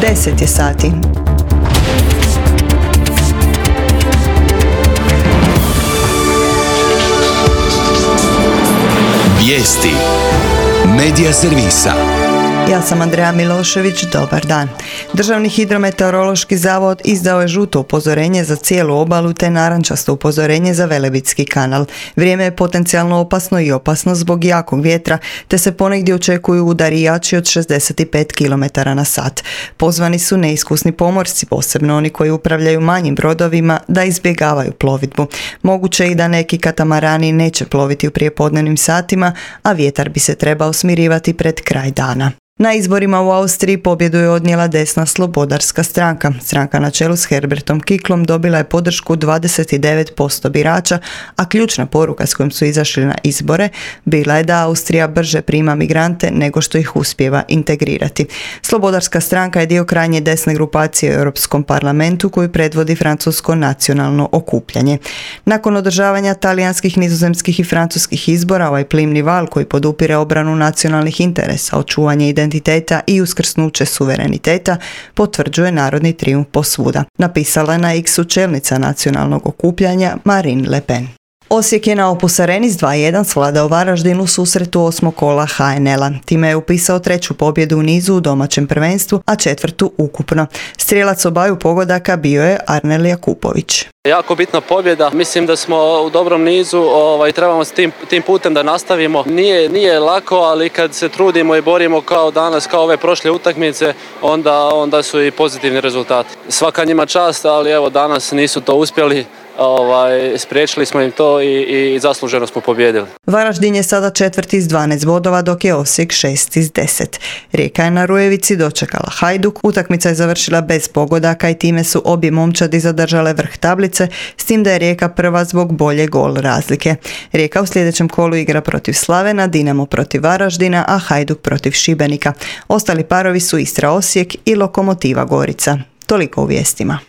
10 je sati. Vijesti Medija servisa. Ja sam Andreja Milošević, dobar dan. Državni hidrometeorološki zavod izdao je žuto upozorenje za cijelu obalu te narančasto upozorenje za Velebitski kanal. Vrijeme je potencijalno opasno i opasno zbog jakog vjetra, te se ponegdje očekuju udari jači od 65 km/h. Pozvani su neiskusni pomorci, posebno oni koji upravljaju manjim brodovima, da izbjegavaju plovidbu. Moguće i da neki katamarani neće ploviti u prijepodnevnim satima, a vjetar bi se trebao smirivati pred kraj dana. Na izborima u Austriji pobjedu je odnijela desna slobodarska stranka. Stranka na čelu s Herbertom Kicklom dobila je podršku 29% birača, a ključna poruka s kojom su izašli na izbore bila je da Austrija brže prima migrante nego što ih uspijeva integrirati. Slobodarska stranka je dio krajnje desne grupacije u Europskom parlamentu koju predvodi Francusko nacionalno okupljanje. Nakon održavanja talijanskih, nizozemskih i francuskih izbora, ovaj plimni val koji podupire obranu nacionalnih interesa, očuvanje identiteta i uskrsnuće suvereniteta potvrđuje narodni trijumf posvuda, napisala je na X-u čelnica nacionalnog okupljanja Marine Le Pen. Osijek je na Opus Areni s 2:1 svladao Varaždin u susretu 8. kola HNL-a. Time je upisao 3. pobjedu u nizu u domaćem prvenstvu, a 4. ukupno. Strijelac obaju pogodaka bio je Arnel Jakupović. Jako bitna pobjeda, mislim da smo u dobrom nizu, trebamo s tim putem da nastavimo. Nije lako, ali kad se trudimo i borimo kao danas, kao ove prošle utakmice, onda su i pozitivni rezultati. Svaka njima čast, ali evo danas nisu to uspjeli. Spriječili smo im to i zasluženo smo pobijedili. Varaždin je sada 4. s 12 bodova, dok je Osijek 6. s 10. Rijeka je na Rujevici dočekala Hajduk, utakmica je završila bez pogodaka i time su obje momčadi zadržale vrh tablice, s tim da je Rijeka prva zbog bolje gol razlike. Rijeka u sljedećem kolu igra protiv Slavena, Dinamo protiv Varaždina, a Hajduk protiv Šibenika. Ostali parovi su Istra Osijek i Lokomotiva Gorica. Toliko u vijestima.